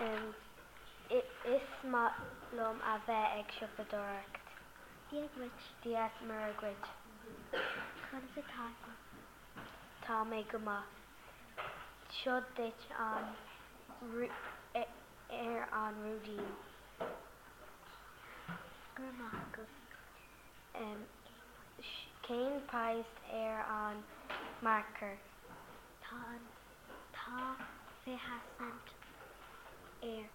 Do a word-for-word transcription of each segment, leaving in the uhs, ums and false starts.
Um, is maith liom a bheith ag siopadóireacht. Dia duit. Dia Muire dhuit. Conas atá tú? Tá mé go maith. Seo duit an ar an rúidín. Go raibh maith agat. Um, cén praghas ar an marker? Tá an tá fiche cent air.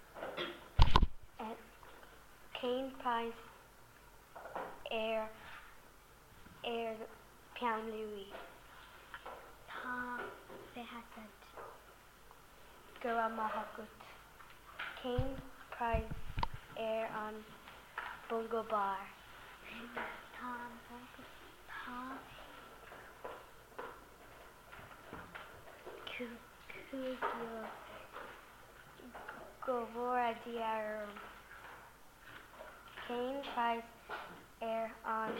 Um, cén praghas ar ar peann luaidhe? Tá fiche cent. Go raibh maith agat. Cén praghas ar an Bongo Bar? Tá an bongo tá cúig euro. Go bhfóire Dia orm. Cén praghas ar an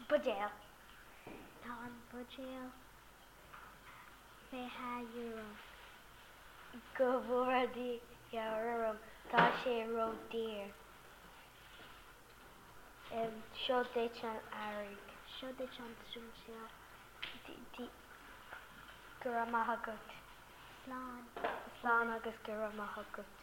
buidéal? Tá an buidéal fiche euro. Go bhfóire Dia orm, tá sé ródhaor. Um, seo duit an airgead. Seo duit an sínseal. Go raibh maith agat. Slán. Slán agus go raibh maith agat.